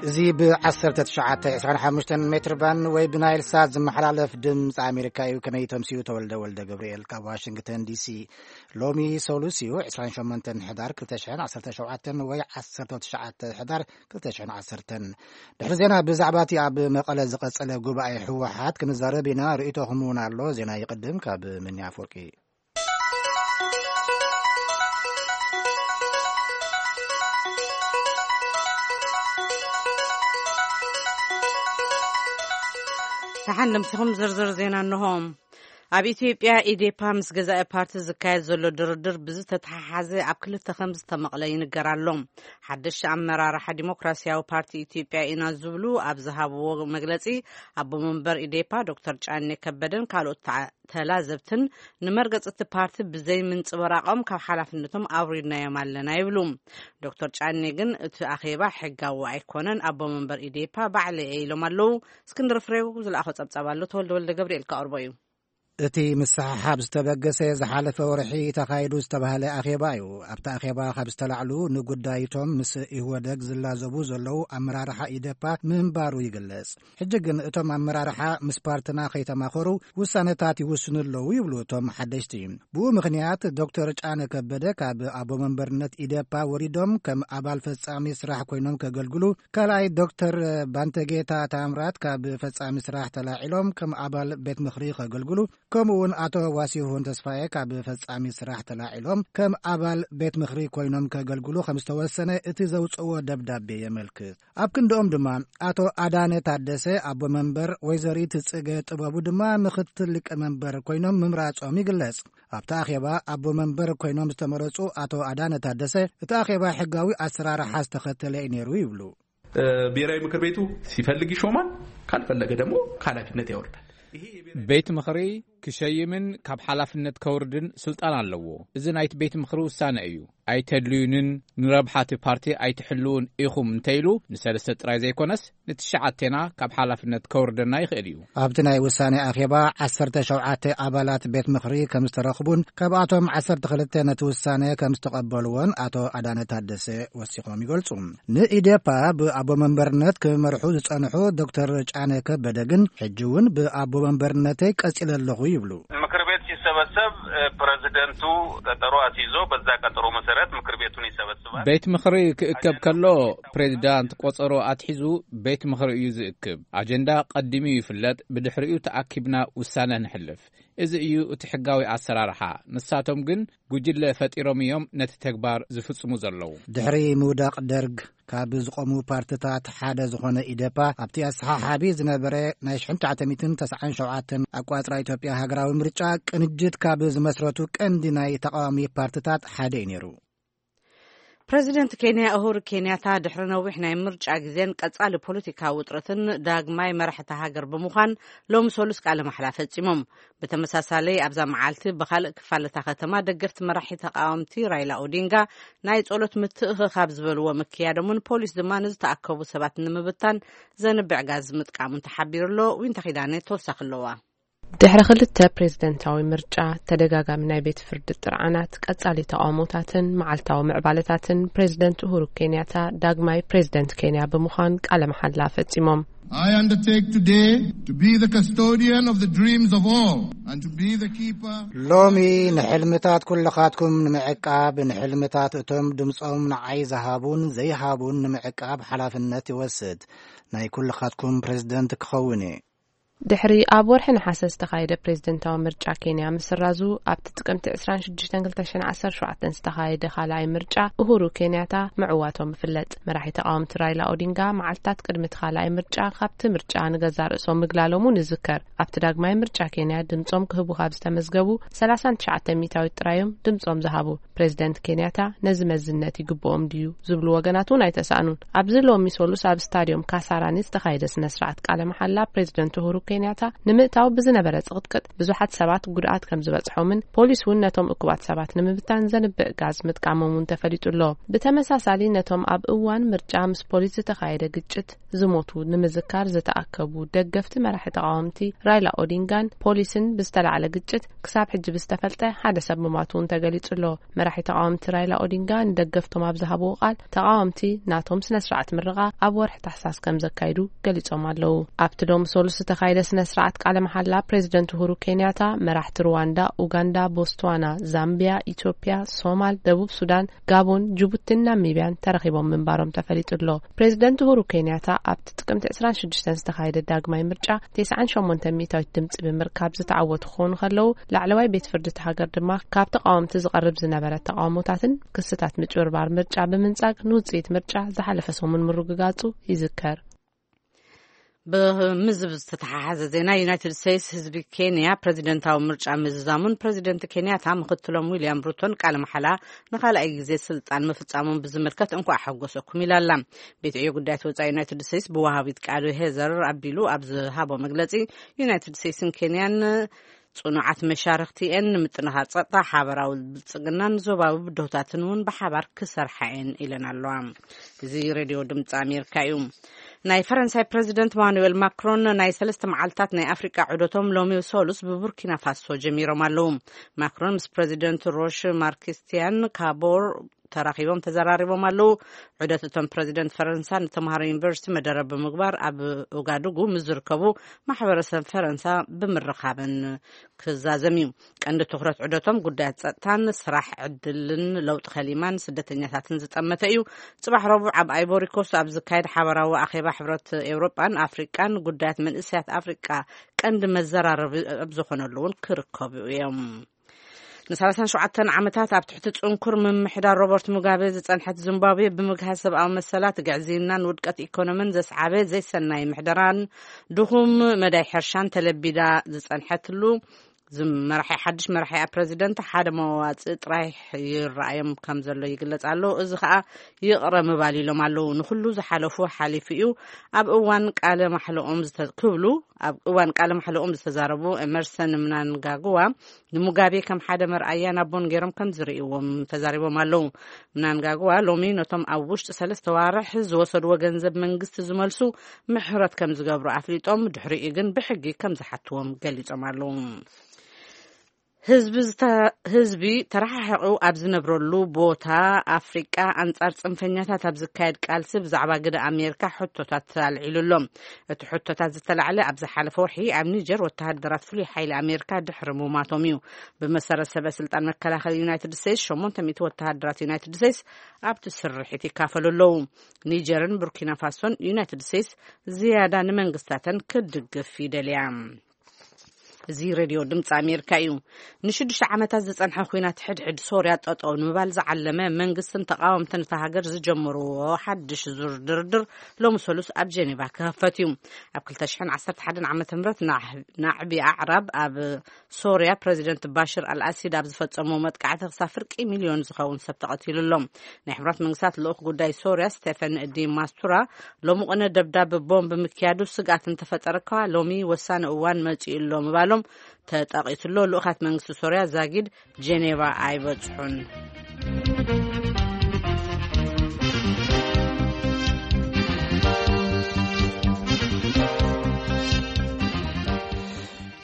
እዚ ብ1925 ሜትር ባንድ ወይ ብናይል ሳት ዝመሓላለፍ ድምፂ ኣሜሪካ እዩ። ከመይ ተምስዩ? ተወልደ ወልደ ገብርኤል ካብ ዋሽንግተን ዲሲ። ሎሚ ሰሉስ እዩ፣ 28 ሕዳር 2017 ወይ 19 ሕዳር 2010። ድሕሪ ዜና ብዛዕባ እቲ ኣብ መቐለ ዝቐጸለ ጉባኤ ህወሓት ክንዛረብ ኢና። ርእይቶኹም እውን ኣሎ። ዜና ይቕድም ካብ ምንያ ኣፈወርቂ። ደሓን ለምስኹም ዝርዝር ዜና እንሆ። ኣብ ኢትዮጵያ ኢዴፓ ምስ ገዛኢ ፓርቲ ዝካየድ ዘሎ ድርድር ብዝተተሓሓዘ ኣብ ክልተ ከም ዝተመቕለ ይንገር ኣሎ። ሓደሽቲ ኣመራርሓ ዲሞክራሲያዊ ፓርቲ ኢትዮጵያ ኢና ዝብሉ ኣብ ዝሃብዎ መግለጺ፣ ኣቦ መንበር ኢዴፓ ዶክተር ጫኔ ከበደን ካልኦት ተዓ-፣ ተላዘብትን ንመርገጺ እቲ ፓርቲ ብዘይ ምንጽብራቖም ካብ ሓላፍነቶም ኣውሪድናዮም ኣለና ይብሉ። ዶክተር ጫኔ ግን እቲ ኣኼባ ሕጋዊ ኣይኮነን፣ ኣቦ መንበር ኢዴፓ ባዕለይ እየ ኢሎም ኣለዉ። እስክንድር ፍሬው ዝለኣኾ ጸብጻብ ኣሎ፣ ተወልደ ወልደ ገብርኤል ከቕርቦ እዩ። እቲ ምስሕሓብ ዝተበገሰ ዝሓለፈ ወርሒ ተኻይዱ ዝተባህለ ኣኼባ እዩ። ኣብቲ ኣኼባ ካብ ዝተላዕሉ ንጉዳይቶም ምስ ኢህወደግ ዝላዘቡ ዘለዉ ኣመራርሓ ኢዴፓ ምንባሩ ይግለጽ። ሕጂ ግን እቶም ኣመራርሓ ምስ ፓርትና ከይተማኸሩ ውሳነታት ይውስኑ ኣለዉ ይብሉ እቶም ሓደሽቲ። ብኡ ምኽንያት ዶክተር ጫነ ከበደ ካብ ኣቦ መንበርነት ኢዴፓ ወሪዶም ከም ኣባል ፈጻሚ ስራሕ ኮይኖም ከገልግሉ፣ ካልኣይ ዶክተር ባንተጌታ ታምራት ካብ ፈጻሚ ስራሕ ተላዒሎም ከም ኣባል ቤት ምኽሪ ከገልግሉ፣ ከምኡ እውን ኣቶ ዋሲሁን ተስፋዬ ካብ ፈጻሚ ስራሕ ተላዒሎም ከም ኣባል ቤት ምኽሪ ኮይኖም ከገልግሉ ከም ዝተወሰነ እቲ ዘውጽእዎ ደብዳቤ የመልክት። ኣብ ክንድኦም ድማ ኣቶ ኣዳነ ታደሰ ኣቦ መንበር፣ ወይዘሪት ጽገ ጥበቡ ድማ ምኽትል ሊቀ መንበር ኮይኖም ምምራጾም ይግለጽ። ኣብቲ ኣኼባ ኣቦ መንበር ኮይኖም ዝተመረጹ ኣቶ ኣዳነ ታደሰ፣ እቲ ኣኼባ ሕጋዊ ኣሰራርሓ ዝተኸተለ እዩ ነይሩ ይብሉ። እ፣ ብሔራዊ ምክር ቤቱ ሲፈልግ ይሾማል፣ ካልፈለገ ደግሞ ከኃላፊነት ያወርዳል። ይሄ የብሔራዊ ቤት ምኽሪ ክሸይምን ካብ ሓላፍነት ከውርድን ስልጣን ኣለዎ። እዚ ናይቲ ቤት ምኽሪ ውሳነ እዩ። ኣይተድልዩንን ንረብሓ እቲ ፓርቲ ኣይትሕልውን ኢኹም እንተኢሉ ንሰለስተ ጥራይ ዘይኮነስ ንትሽዓቴና ካብ ሓላፍነት ከውርደና ይኽእል እዩ። ኣብቲ ናይ ውሳኔ ኣኼባ ዓሰርተ ሸውዓተ ኣባላት ቤት ምኽሪ ከም ዝተረኽቡን ካብኣቶም ዓሰርተ ክልተ ነቲ ውሳኔ ከም ዝተቐበልዎን ኣቶ ኣዳነ ታደሰ ወሲኾም ይገልጹ። ንኢዴፓ ብኣቦ መንበርነት ክመርሑ ዝጸንሑ ዶክተር ጫነ ከበደ ግን ሕጂ እውን ብኣቦ መንበርነተይ ቀጺለ ኣለኹ ይብሉ። ምክር ቤት ሲሰበሰብ፣ እ፣ ፕሬዚደንቱ ቀጠሮ አስይዞ በዛ ቀጠሮ መሰረት ምክር ቤቱን ይሰበስባል። ቤት ምኽሪ ክእከብ ከሎ ፕሬዚዳንት ቆጸሮ ኣትሒዙ ቤት ምኽሪ እዩ ዝእክብ። ኣጀንዳ ቀዲሙ ይፍለጥ፣ ብድሕሪኡ ተኣኪብና ውሳነ ንሕልፍ። እዚ እዩ እቲ ሕጋዊ ኣሰራርሓ። ንሳቶም ግን ጉጅለ ፈጢሮም እዮም ነቲ ተግባር ዝፍጽሙ ዘለዉ። ድሕሪ ምውዳቕ ደርግ ካብ ዝቖሙ ፓርትታት ሓደ ዝኾነ ኢዴፓ ኣብቲ ኣሰሓሓቢ ዝነበረ ናይ ሽሕን ትሽዓተ ሚእትን ተስዓን ሸውዓተን ኣቋጽራ ኢትዮጵያ ሃገራዊ ምርጫ ቅንጅት ካብ ዝመስረቱ ቀንዲ ናይ ተቃዋሚ ፓርትታት ሓደ እዩ ነይሩ። ፕረዚደንት ኬንያ ኡሁሩ ኬንያታ ድሕሪ ነዊሕ ናይ ምርጫ ግዜን ቀጻሊ ፖለቲካዊ ውጥረትን ዳግማይ መራሒ እታ ሃገር ብምዃን ሎሚ ሰሉስ ቃለ ማሕላ ፈጺሞም። ብተመሳሳሊ ኣብዛ መዓልቲ ብኻልእ ክፋል እታ ከተማ ደገፍቲ መራሒ ተቃወምቲ ራይላ ኦዲንጋ ናይ ጸሎት ምትእኽኻብ ዝበልዎ ምክያዶምን ፖሊስ ድማ ንዝተኣከቡ ሰባት ንምብታን ዘንብዕ ጋዝ ምጥቃሙን ተሓቢሩ ኣሎ። ዊንታ ኪዳነ ተወሳኺ ኣለዋ። ድሕሪ ክልተ ፕሬዝደንታዊ ምርጫ፣ ተደጋጋሚ ናይ ቤት ፍርዲ ጥርዓናት፣ ቀጻሊ ተቓውሞታትን መዓልታዊ ምዕባለታትን፣ ፕሬዝደንት ኡሁሩ ኬንያታ ዳግማይ ፕሬዝደንት ኬንያ ብምዃን ቃለ መሓላ ፈጺሞም። I undertake today to be the custodian of the dreams of all and to be the keeper. ሎሚ ንሕልምታት ኩልኻትኩም ንምዕቃብ፣ ንሕልምታት እቶም ድምጾም ንዓይ ዝሃቡን ዘይሃቡን ንምዕቃብ ሓላፍነት ይወስድ። ናይ ኩልኻትኩም ፕሬዝደንት ክኸውን እየ። ድሕሪ ኣብ ወርሒ ነሓሰ ዝተኻየደ ፕሬዝደንታዊ ምርጫ ኬንያ ምስራዙ፣ ኣብቲ ጥቅምቲ ዕስራን ሽዱሽተን ክልተ ሽሕን ዓሰርተ ሸውዓተን ዝተኻየደ ካልኣይ ምርጫ፣ ኡሁሩ ኬንያታ ምዕዋቶም ይፍለጥ። መራሒ ተቓወምቲ ራይላ ኦዲንጋ፣ መዓልታት ቅድሚ እቲ ካልኣይ ምርጫ፣ ካብቲ ምርጫ ንገዛእ ርእሶም ምግላሎም እውን ይዝከር። ኣብቲ ዳግማይ ምርጫ ኬንያ ድምጾም ክህቡ ካብ ዝተመዝገቡ፣ ሰላሳን ትሽዓተ ሚእታዊት ጥራዮም ድምጾም ዝሃቡ። ፕሬዝደንት ኬንያታ ነዚ መዝነት ይግብኦም ድዩ ዝብሉ ወገናት እውን ኣይተሳእኑን። ኣብዚ ሎሚ ሰሉስ ኣብ ስታድዮም ካሳራኒ ዝተኻየደ ስነ ስርዓት ቃለ መሓላ ፕሬዝደንት ኡሁሩ ኬንያታ ንምእታው ብዝነበረ ጽቕጥቅጥ ብዙሓት ሰባት ጉድኣት ከም ዝበጽሖምን ፖሊስ እውን ነቶም እኩባት ሰባት ንምብታን ዘንብዕ ጋዝ ምጥቃሞም እውን ተፈሊጡ ኣሎ። ብተመሳሳሊ ነቶም ኣብ እዋን ምርጫ ምስ ፖሊስ ዝተኻየደ ግጭት ዝሞቱ ንምዝካር ዝተኣከቡ ደገፍቲ መራሒ ተቓወምቲ ራይላ ኦዲንጋን ፖሊስን ብዝተላዕለ ግጭት ክሳብ ሕጂ ብዝተፈልጠ ሓደ ሰብ ምማቱ እውን ተገሊጹ ኣሎ። መራሒ ተቓወምቲ ራይላ ኦዲንጋ ንደገፍቶም ኣብ ዝሃብዎ ቃል፣ ተቓወምቲ ናቶም ስነ ስርዓት ምርቓ ኣብ ወርሒ ታሕሳስ ከም ዘካይዱ ገሊጾም ኣለዉ። ኣብቲ ሎሚ ሰሉስ ዝተኻየደ ስነ ስርዓት ቃለ መሓላ ፕሬዚደንት ኡሁሩ ኬንያታ፣ መራሕቲ ሩዋንዳ፣ ኡጋንዳ፣ ቦትስዋና፣ ዛምቢያ፣ ኢትዮጵያ፣ ሶማል፣ ደቡብ ሱዳን፣ ጋቦን፣ ጅቡቲን ናሚቢያን ተረኺቦም ምንባሮም ተፈሊጡ ኣሎ። ፕሬዚደንት ኡሁሩ ኬንያታ ኣብቲ ጥቅምቲ ዕስራን ሽዱሽተን ዝተኻየደ ዳግማይ ምርጫ ተስዓን ሸሞንተ ሚእታዊት ድምፂ ብምርካብ ዝተዓወቱ ክኾኑ ከለዉ፣ ላዕለዋይ ቤት ፍርዲ እቲ ሃገር ድማ ካብ ተቃወምቲ ዝቐርብ ዝነበረ ተቃውሞታትን ክስታት ምጭብርባር ምርጫ ብምንጻግ ንውፅኢት ምርጫ ዝሓለፈ ሰሙን ምርግጋጹ ይዝከር። ብምዝብ ዝተተሓሓዘ ዜና፣ ዩናይትድ ስቴትስ ህዝቢ ኬንያ ፕሬዚደንታዊ ምርጫ ምዝዛሙን ፕሬዚደንት ኬንያታ ምክትሎም ዊልያም ሩቶን ቃለ መሓላ ንኻልኣይ ግዜ ስልጣን ምፍጻሞም ብዝምልከት እንኳዕ ሓጎሰኩም ኢላ ኣላ። ቤት ዕዮ ጉዳያት ወጻኢ ዩናይትድ ስቴትስ ብወሃቢት ቃሉ ሄዘር ኣቢሉ ኣብ ዝሃቦ መግለጺ፣ ዩናይትድ ስቴትስን ኬንያን ጽኑዓት መሻርኽቲ እየን፣ ንምጥንኻር ጸጥታ፣ ሓበራዊ ብልጽግናን ዞባዊ ብድሆታትን እውን ብሓባር ክሰርሓ እየን ኢለን ኣለዋ። እዚ ሬድዮ ድምፂ ኣሜሪካ እዩ። ናይ ፈረንሳይ ፕሬዚደንት ማኑኤል ማክሮን ናይ ሰለስተ መዓልታት ናይ ኣፍሪቃ ዑደቶም ሎሚ ሰሉስ ብቡርኪና ፋሶ ጀሚሮም ኣለዉ። ማክሮን ምስ ፕሬዚደንት ሮሽ ማርክስቲያን ካቦር ተራኺቦም ተዘራሪቦም ኣለዉ። ዑደት እቶም ፕሬዚደንት ፈረንሳ ንተምሃሮ ዩኒቨርሲቲ መደረ ብምግባር ኣብ ኦጋዱጉ ምስ ዝርከቡ ማሕበረሰብ ፈረንሳ ብምርኻብን ክዛዘም እዩ። ቀንዲ ትኹረት ዑደቶም ጉዳያት ጸጥታን ስራሕ ዕድልን ለውጢ ከሊማን ስደተኛታትን ዝጠመተ እዩ። ጽባሕ ረቡዕ ኣብ ኣይቮሪ ኮስት ኣብ ዝካየድ ሓበራዊ ኣኼባ ሕብረት ኤውሮጳን ኣፍሪቃን ጉዳያት መንእሰያት ኣፍሪቃ ቀንዲ መዘራረቢ ኣብ ዝኾነሉ እውን ክርከቡ እዮም። ን ሰላሳን ሸውዓተን ዓመታት ኣብ ትሕቲ ጽንኩር ምምሕዳር ሮበርት ሙጋቤ ዝጸንሐት ዚምባብዌ ብምግሃስ ሰብኣዊ መሰላት፣ ግዕዝይናን ውድቀት ኢኮኖሚን ዘስዓበ ዘይሰናይ ምሕደራን ድኹም መዳይ ሕርሻን ተለቢዳ ዝጸንሐትሉ፣ ዝመራሒ ሓድሽ መራሒ ኣብ ፕረዚደንት ሓደ መዋጽእ ጥራይ ይረኣዮም ከም ዘሎ ይግለጽ ኣሎ። እዚ ኸኣ ይቕረ ምባል ኢሎም ኣለዉ። ንኹሉ ዝሓለፉ ሓሊፉ እዩ። ኣብ እዋን ቃለ ማሕለኦም ዝተ-፣ ክብሉ፣ ኣብ እዋን ቃለ ማሕለኦም ዝተዛረቡ ኤመርሰን ምናንጋግዋ ንሙጋቤ ከም ሓደ መርኣያ ናቦን ገይሮም ከም ዝርእይዎም ተዛሪቦም ኣለዉ። ምናንጋግዋ ሎሚ ነቶም ኣብ ውሽጢ ሰለስተ ዋርሕ ዝወሰድዎ ገንዘብ መንግስቲ ዝመልሱ ምሕረት ከም ዝገብሩ ኣፍሊጦም፣ ድሕሪኡ ግን ብሕጊ ከም ዝሓትዎም ገሊጾም ኣለዉ። ህዝቢ ዝተ-፣ ህዝቢ ተረሓሒቑ ኣብ ዝነብረሉ ቦታ ኣፍሪቃ ኣንጻር ጽንፈኛታት ኣብ ዝካየድ ቃልሲ ብዛዕባ ግደ ኣሜሪካ ሕቶታት ኣልዒሉ ኣሎ። እቲ ሕቶታት ዝተላዕለ ኣብ ዝሓለፈ ወርሒ ኣብ ኒጀር ወተሃደራት ፍሉይ ሓይሊ ኣሜሪካ ድሕሪ ምሟቶም እዩ። ብመሰረት ሰበ ስልጣን መከላኸሊ ዩናይትድ ስቴትስ፣ ሸሞንተ ሚእቲ ወተሃደራት ዩናይትድ ስቴትስ ኣብቲ ስርሒት ይካፈሉ ኣለዉ። ኒጀርን ቡርኪና ፋሶን ዩናይትድ ስቴትስ ዝያዳ ንመንግስታተን ክትድግፍ ይደልያ። እዚ ሬድዮ ድምፂ ኣሜሪካ እዩ። ንሽዱሽተ ዓመታት ዝፀንሐ ኲናት ሕድሕድ ሶርያ ጠጠው ንምባል ዝዓለመ መንግስትን ተቃወምትን እታ ሃገር ዝጀመርዎ ሓድሽ ዙር ድርድር ሎሚ ሰሉስ ኣብ ጀኔቫ ክኸፈት እዩ። ኣብ ክልተ ሽሕን ዓሰርተ ሓደን ዓመተ ምህረት ናዕ-፣ ናዕቢ ኣዕራብ ኣብ ሶርያ ፕረዚደንት ባሽር ኣልኣሲድ ኣብ ዝፈጸሞ መጥቃዕቲ ክሳብ ፍርቂ ሚልዮን ዝኸውን ሰብ ተቐቲሉ ኣሎ። ናይ ሕቡራት መንግስታት ልኡኽ ጉዳይ ሶርያ ስቴፈን ዲ ማስቱራ ሎሚ ቅነ ደብዳብ ቦምብ ምክያዱ ስግኣት እንተፈጠረ እኳ ሎሚ ወሳኒ እዋን መጺኡ ኣሎ ምባሎም ተጠቒሱ ኣሎ። ልኡኻት መንግስቲ ሶርያ ዛጊድ ጄኔቫ ኣይበጽሑን።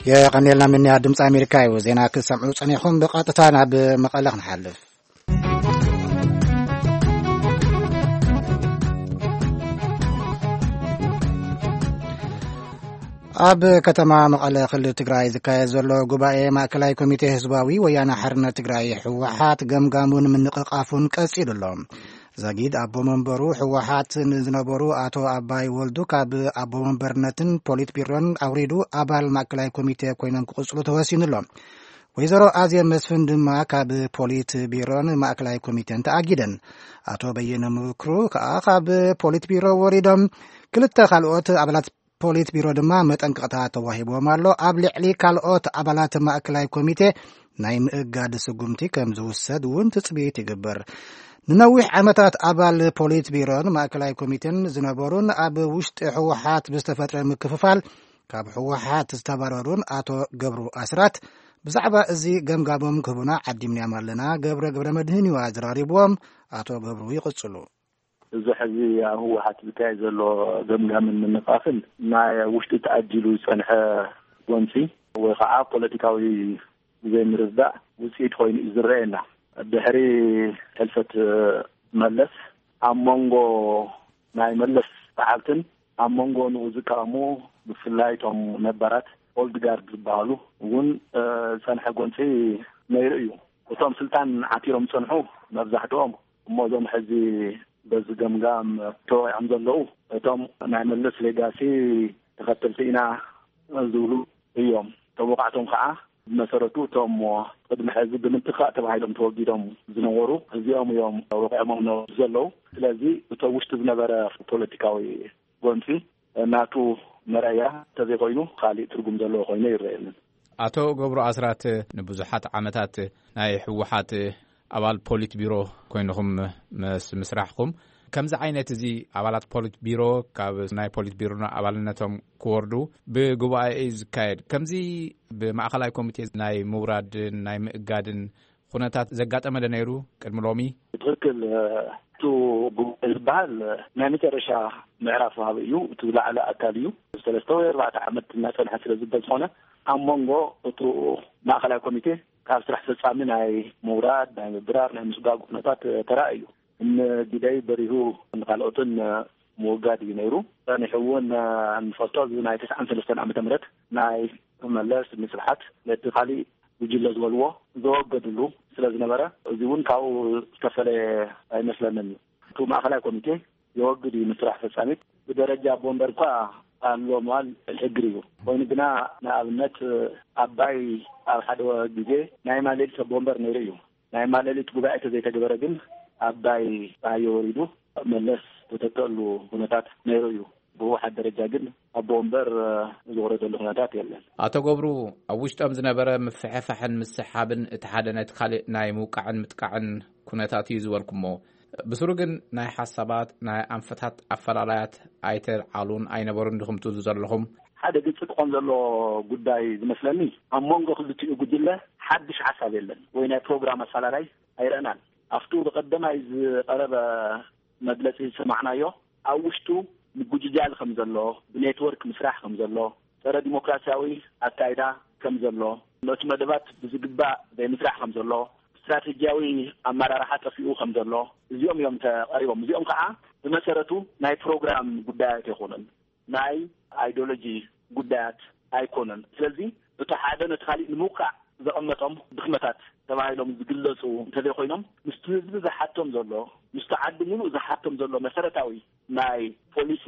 የቐንየልና ምንያ ድምፂ ኣሜሪካ እዩ። ዜና ክትሰምዑ ጸኒኹም። ብቐጥታ ናብ መቐለ ክንሓልፍ። ኣብ ከተማ መቐለ ክልል ትግራይ ዝካየድ ዘሎ ጉባኤ ማእከላይ ኮሚቴ ህዝባዊ ወያነ ሓርነት ትግራይ ህወሓት ገምጋሙን ምንቕቓፉን ቀጺሉ ኣሎ። ዛጊድ ኣቦ መንበሩ ህወሓት ንዝነበሩ ኣቶ ኣባይ ወልዱ ካብ ኣቦ መንበርነትን ፖሊት ቢሮን ኣውሪዱ ኣባል ማእከላይ ኮሚቴ ኮይኖም ክቕጽሉ ተወሲኑ ኣሎ። ወይዘሮ ኣዜብ መስፍን ድማ ካብ ፖሊት ቢሮን ማእከላይ ኮሚቴን ተኣጊደን። ኣቶ በየነ ምክሩ ከኣ ካብ ፖሊት ቢሮ ወሪዶም። ክልተ ካልኦት ኣባላት ፖሊት ቢሮ ድማ መጠንቀቕታ ተዋሂብዎም ኣሎ። ኣብ ልዕሊ ካልኦት ኣባላት ማእከላይ ኮሚቴ ናይ ምእጋድ ስጉምቲ ከም ዝውሰድ እውን ትጽቢት ይግበር። ንነዊሕ ዓመታት ኣባል ፖሊት ቢሮን ማእከላይ ኮሚቴን ዝነበሩን ኣብ ውሽጢ ህወሓት ብዝተፈጥረ ምክፍፋል ካብ ህወሓት ዝተባረሩን ኣቶ ገብሩ ኣስራት ብዛዕባ እዚ ገምጋሞም ክህቡና ዓዲምናዮም ኣለና። ገብረ ገብረ መድህን እዩ ኣዘራሪብዎም። ኣቶ ገብሩ ይቕጽሉ። እዚ ሕዚ ኣብ ህወሓት ዝካየድ ዘሎ ገምጋምን ምንቃፍን ናይ ውሽጢ ተኣጂሉ ዝጸንሐ ጎንፂ ወይ ከዓ ፖለቲካዊ ዘይምርዳእ ውፅኢት ኮይኑ እዩ ዝረኣየና። ድሕሪ ሕልፈት መለስ ኣብ መንጎ ናይ መለስ ሰዓብትን ኣብ መንጎ ንኡ ዝቃወሙ ብፍላይ እቶም ነባራት ኦልድ ጋርድ ዝበሃሉ እውን ዝፀንሐ ጎንፂ ነይሩ እዩ። እቶም ስልጣን ዓቲሮም ዝፀንሑ መብዛሕትኦም እሞ እዞም ሕዚ በዚ ገምጋም ተወቂዖም ዘለዉ እቶም ናይ መለስ ሌጋሲ ተኸተልቲ ኢና ዝብሉ እዮም። እቶም ወቃዕቶም ከዓ ብመሰረቱ እቶም ቅድሚ ሕዚ ብምትካእ ተባሂሎም ተወጊዶም ዝነበሩ እዚኦም እዮም ወቂዖሞም ዘለዉ። ስለዚ እቶ ውሽጢ ዝነበረ ፖለቲካዊ ጎንፂ ናቱ መረያ እንተዘይኮይኑ ካሊእ ትርጉም ዘለዎ ኮይኑ ይረኣየንን። ኣቶ ገብሩ ኣስራት ንብዙሓት ዓመታት ናይ ህወሓት ኣባል ፖሊት ቢሮ ኮይንኹም ምስ ምስራሕኩም ከምዚ ዓይነት እዚ ኣባላት ፖሊት ቢሮ ካብ ናይ ፖሊት ቢሮ ኣባልነቶም ክወርዱ ብጉባኤ እዩ ዝካየድ። ከምዚ ብማእኸላይ ኮሚቴ ናይ ምውራድን ናይ ምእጋድን ኩነታት ዘጋጠመ ዶ ነይሩ ቅድሚ ሎሚ? ትኽክል። እቲ ጉባኤ ዝበሃል ናይ መጨረሻ ምዕራፍ ወሃቢ እዩ። እቲ ዝለዓለ ኣካል እዩ። ሰለስተ ወይ ኣርባዕተ ዓመት እናፀንሐ ስለ ዝበ ዝኾነ ኣብ መንጎ እቲ ማእኸላይ ኮሚቴ ካብ ስራሕ ፈፃሚ ናይ ምውራድ ናይ ምብራር ናይ ምስጓግ ኩነታት ተራእዩ። እነ ጊደይ በሪሁ ንካልኦትን ምውጋድ እዩ ነይሩ። ጸኒሑ እውን ንፈልጦ እዚ ናይ ተስዓን ሰለስተን ዓመተ ምህረት ናይ መለስ ንስብሓት ነቲ ካሊእ ጉጅለ ዝበልዎ ዘወገድሉ ስለ ዝነበረ እዚ እውን ካብኡ ዝተፈለየ ኣይመስለንን እዩ። እቲ ማእኸላይ ኮሚቴ የወግድ እዩ ንስራሕ ፈጻሚት ብደረጃ ኣቦ ወንበር እኳ ኣሎ ምባል ሕግር እዩ። ኮይኑ ግና ንኣብነት ኣባይ ኣብ ሓደ ግዜ ናይ ማሌሊት ኣቦ ወንበር ነይሩ እዩ። ናይ ማለሊት ጉባኤ ተዘይተገበረ ግን ኣባይ ፀሃየ ወሪዱ መለስ ዝተተከሉ ኩነታት ነይሩ እዩ። ብህወሓት ደረጃ ግን ኣቦ ወንበር ዝወረደሉ ኩነታት የለን። ኣቶ ገብሩ ኣብ ውሽጦም ዝነበረ ምፍሕፋሕን ምስሓብን እቲ ሓደ ነቲ ካልእ ናይ ምውቃዕን ምጥቃዕን ኩነታት እዩ ዝበልኩሞ። ብስሩ ግን ናይ ሓሳባት ናይ ኣንፈታት ኣፈላላያት ኣይተልዓሉን ኣይነበሩን ድኹምቱ ዘለኹም። ሓደ ግልፂ ክኾን ዘሎ ጉዳይ ዝመስለኒ ኣብ መንጎ ክልቲኡ ጉጅለ ሓድሽ ሓሳብ የለን ወይ ናይ ፕሮግራም ኣፈላላይ ኣይረእናን። ኣብቱ ብቐደማይ ዝቐረበ መግለፂ ዝሰማዕናዮ ኣብ ውሽጡ ምጉጅጃል ከም ዘሎ፣ ብኔትወርክ ምስራሕ ከም ዘሎ፣ ፀረ ዲሞክራሲያዊ ኣካይዳ ከም ዘሎ፣ ነቲ መደባት ብዝግባእ ዘይምስራሕ ከም ዘሎ፣ ስትራቴጂያዊ ኣመራርሓ ጠፊኡ ከም ዘሎ እዚኦም እዮም ተቐሪቦም። እዚኦም ከዓ ብመሰረቱ ናይ ፕሮግራም ጉዳያት ኣይኮኑን። ናይ ኣይዲዮሎጂ ጉዳያት ኣይኮነን። ስለዚ እቲ ሓደ ነቲ ካሊእ ንምውቃዕ ዘቐመጦም ድኽመታት ተባሂሎም ዝግለፁ እንተዘይኮይኖም ምስቲ ህዝቢ ዝሓቶም ዘሎ ምስቲ ዓዲ ሙሉእ ዝሓቶም ዘሎ መሰረታዊ ናይ ፖሊሲ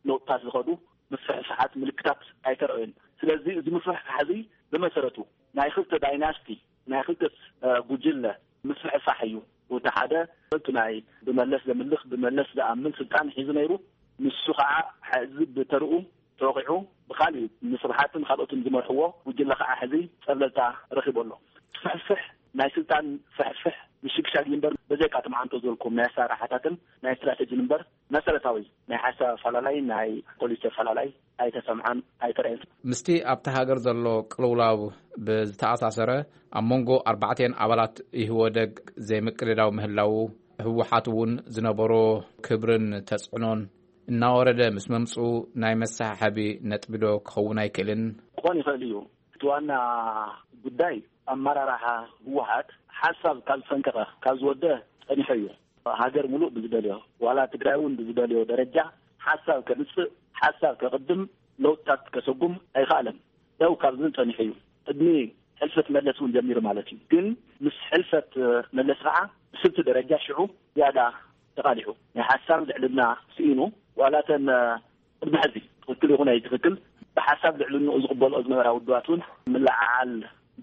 ለውጥታት ዝኸዱ ምፍሕፋሓት ምልክታት ኣይተረእዩን። ስለዚ እዚ ምፍሕፋሕ እዚ ብመሰረቱ ናይ ክልተ ዳይናስቲ ናይ ክልተ ጉጅለ ምፍሕፋሕ እዩ። እቲ ሓደ እቲ ናይ ብመለስ ዘምልኽ ብመለስ ዝኣምን ስልጣን ሒዙ ነይሩ። ንሱ ከዓ ሕዚ ብተርኡ ተወቂዑ ብካሊእ ንስብሓትን ካልኦትን ዝመርሕዎ ጉጅለ ከዓ ሕዚ ፀብለልታ ረኪቡ ኣሎ። ፍሕፍሕ ናይ ስልጣን ፍሕፍሕ ምሽግሻግ እዩ እምበር በዘይካ እቲ መዓንቶ ዝበልኩም ናይ ኣሰራርሓታትን ናይ ስትራቴጂን እምበር መሰረታዊ ናይ ሓሳብ ኣፈላላይ ናይ ፖሊሲ ኣፈላላይ ኣይተሰምዓን ኣይተረእን። ምስቲ ኣብቲ ሃገር ዘሎ ቅልውላው ብዝተኣሳሰረ ኣብ መንጎ ኣርባዕቲኤን ኣባላት ኢህወደግ ዘይምቅድዳው ምህላው ህወሓት እውን ዝነበሮ ክብርን ተፅዕኖን እናወረደ ምስ መምፅኡ ናይ መሰሓሓቢ ነጥቢ ዶ ክኸውን ኣይክእልን? ክኾን ይኽእል እዩ። እቲ ዋና ጉዳይ ኣመራርሓ ህወሓት ሓሳብ ካብ ዝፈንቀቐ ካብ ዝወደ ፀኒሑ እዩ። ሃገር ሙሉእ ብዝደልዮ ዋላ ትግራይ እውን ብዝደልዮ ደረጃ ሓሳብ ከምፅእ ሓሳብ ከቕድም ለውጥታት ከሰጉም ኣይኸኣለን። ደው ካብ ዝብል ፀኒሑ እዩ። ቅድሚ ሕልፈት መለስ እውን ጀሚሩ ማለት እዩ። ግን ምስ ሕልፈት መለስ ከዓ ብስልቲ ደረጃ ሽዑ ዝያዳ ተቓሊሑ ናይ ሓሳብ ልዕልና ስኢኑ ዋላ እተን ቅድሚ ሕዚ ትኽክል ይኹን ኣይትኽክል ብሓሳብ ልዕልንኡ ዝቕበልኦ ዝነበራ ውድባት እውን ምልዓዓል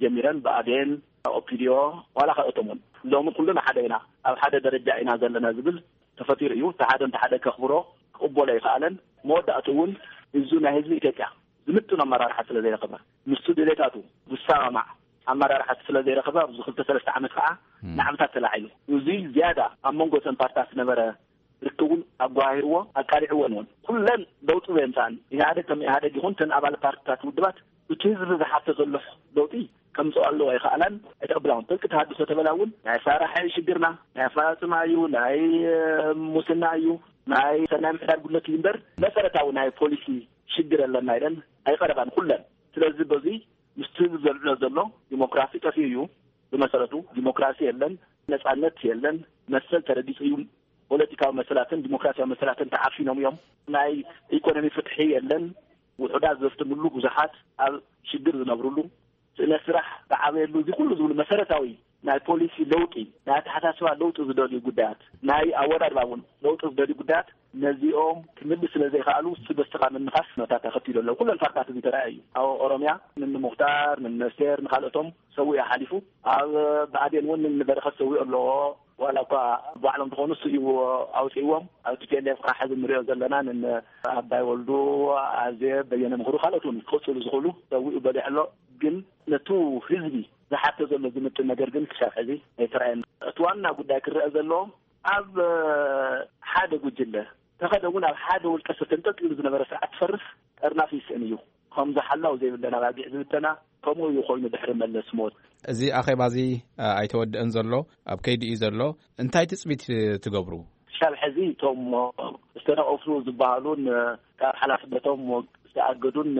ጀሚረን ብኣዴን ኦፒዲዮ ዋላ ካልኦቶም እውን ሎሚ ኩልና ሓደ ኢና ኣብ ሓደ ደረጃ ኢና ዘለና ዝብል ተፈጢሩ እዩ። እቲ ሓደ እንተ ሓደ ከኽብሮ ክቕበሎ ኣይከኣለን። መወዳእቱ እውን እዚ ናይ ህዝቢ ኢትዮጵያ ዝምጥን ኣመራርሓ ስለ ዘይረኸበ ምስቱ ድሌታቱ ዝሰማማዕ ኣመራርሓ ስለ ዘይረኸበ ኣብዚ ክልተ ሰለስተ ዓመት ከዓ ናዕብታት ተላዒሉ እዚ ዝያዳ ኣብ መንጎ እተን ፓርትታት ዝነበረ ርክቡን ኣጓሂርዎ ኣቃሊዕዎን እውን ኩለን ለውጢ ዘየምፃን ኢህኣደግ ከም ኢህኣደግ ይኹን ተን ኣባል ፓርትታት ውድባት እቲ ህዝቢ ዝሓቶ ዘሎ ለውጢ ከምፅኦ ኣለዎ ኣይኸኣላን ኣይተቐብላውን ጥልቂ ተሃድሶ ተበላ እውን ናይ ኣሰራርሓ እዩ ሽግርና ናይ ኣፈፃፅማ እዩ ናይ ሙስና እዩ ናይ ሰናይ ምሕዳር ጉድለት እዩ እምበር መሰረታዊ ናይ ፖሊሲ ሽግር ኣለና ኢለን ኣይቐረባን ኩለን ስለዚ በዚ ምስቲ ህዝቢ ዘልዕሎ ዘሎ ዲሞክራሲ ጠፊኡ እዩ ብመሰረቱ ዲሞክራሲ የለን ነፃነት የለን መሰል ተረጊፁ እዩ ፖለቲካዊ መሰላትን ዲሞክራሲያዊ መሰላትን ተዓፊኖም እዮም ናይ ኢኮኖሚ ፍትሒ የለን ውሑዳት ዘፍትምሉ ብዙሓት ኣብ ሽግር ዝነብርሉ ስእነት ስራሕ ዝዓበየሉ እዚ ኩሉ ዝብሉ መሰረታዊ ናይ ፖሊሲ ለውጢ ናይ ኣተሓሳስባ ለውጢ ዝደልዩ ጉዳያት ናይ ኣወዳድባ እውን ለውጢ ዝደልዩ ጉዳያት ነዚኦም ክምልስ ስለ ዘይከኣሉ ስበስተኻ ምንኻስ ነታ ተኸቲሉ ኣለዉ ኩለን ፓርታት እዚ ተረኣየ እዩ ኣብ ኦሮምያ ንንሙክታር ንነስቴር ንካልኦቶም ሰዊኡ ሓሊፉ ኣብ ብኣዴን እውን ንበረኸት ሰዊኡ ኣለዎ ዋላ እኳ ባዕሎም ዝኾኑ ስኡ ኣውፅእዎም ኣብ ቲፒኤልኤፍ ከዓ ሕዚ ንሪኦ ዘለና ንን ኣባይ ወልዱ ኣዜ በየነ ምክሩ ካልኦት እውን ክቕፅሉ ዝኽእሉ ሰዊኡ በሊሕ ኣሎ ግን ነቱ ህዝቢ ዝሓተ ዘሎ ዝምጥን ነገር ግን ክሳብ ሕዚ ኣይተረኣየን እቲ ዋና ጉዳይ ክረአ ዘለዎ ኣብ ሓደ ጉጅለ ተኸደ እውን ኣብ ሓደ ውልቀ ሰብ ተንጠልጢሉ ዝነበረ ስርዓት ትፈርስ ጠርናፍ ይስእን እዩ ከም ዝሓላው ዘይብለን ኣባጊዕ ዝብተና ከምኡ እዩ ኮይኑ ድሕሪ መለስ ሞት እዚ ኣኼባ እዚ ኣይተወድአን ዘሎ ኣብ ከይዲ እዩ ዘሎ እንታይ ትፅቢት ትገብሩ ክሳብ ሕዚ እቶም ዝተነቐፉ ዝበሃሉን ካብ ሓላፍነቶም ዝተኣገዱን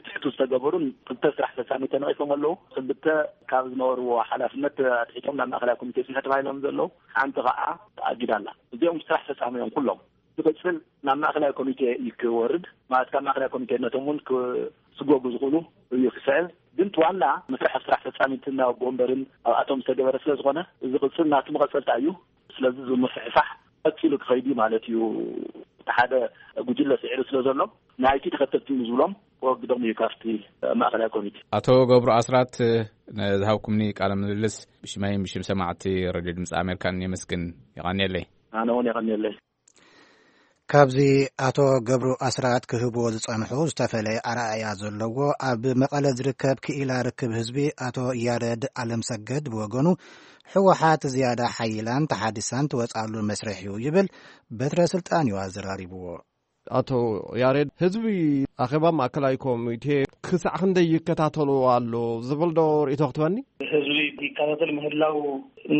ትሕቱ ዝተገበሩን ክልተ ስራሕ ፈፃሚ ተነቒፎም ኣለዉ ክልተ ካብ ዝነበርዎ ሓላፍነት ኣትሒቶም ናብ ማእከላይ ኮሚቴ ፅንሐ ተባሂሎም ዘለዉ ሓንቲ ከዓ ተኣጊዳ ኣላ እዚኦም ስራሕ ፈፃሚ እዮም ኩሎም ዝቕፅል ናብ ማእከላይ ኮሚቴ እዩ ክወርድ ማለት ካብ ማእከላይ ኮሚቴ ነቶም እውን ክስጎጉ ዝኽእሉ እዩ ክስዕብ ግን ዋና መስርሕ ስራሕ ፈፃሚትን ናብ ኣቦ ወንበርን ኣብኣቶም ዝተገበረ ስለ ዝኾነ እዚ ቅፅል ናቱ መቐፀልታ እዩ ስለዚ እዚ ምፍሕፋሕ ቀፂሉ ክኸይድ እዩ ማለት እዩ እቲ ሓደ ጉጅለ ስዒሩ ስለ ዘሎ ናይቲ ተኸተልቲ እዩ ዝብሎም ክወግዶም እዩ ካብቲ ማእከላይ ኮሚቴ ኣቶ ገብሩ ኣስራት ዝሃብኩምኒ ቃለ ምልልስ ብሽመይን ብሽም ሰማዕቲ ረድዮ ድምፂ ኣሜሪካን የመስግን የቐንየለይ ኣነ እውን የቐንየለይ ካብዚ ኣቶ ገብሩ ኣስራት ክህብዎ ዝጸንሑ ዝተፈለየ ኣረኣእያ ዘለዎ ኣብ መቐለ ዝርከብ ክኢላ ርክብ ህዝቢ ኣቶ ያረድ ኣለምሰገድ ብወገኑ፣ ህወሓት ዝያዳ ሓይላን ተሓዲሳን ትወጽኣሉ መስርሕ እዩ ይብል። በትረ ስልጣን እዩ ኣዘራሪብዎ። ኣቶ ያሬድ፣ ህዝቢ ኣኼባ ማእከላይ ኮሚቴ ክሳዕ ክንደይ ይከታተሎ ኣሎ ዝብል ዶ ርእይቶ ክትበኒ? ህዝቢ ይከታተል ምህላው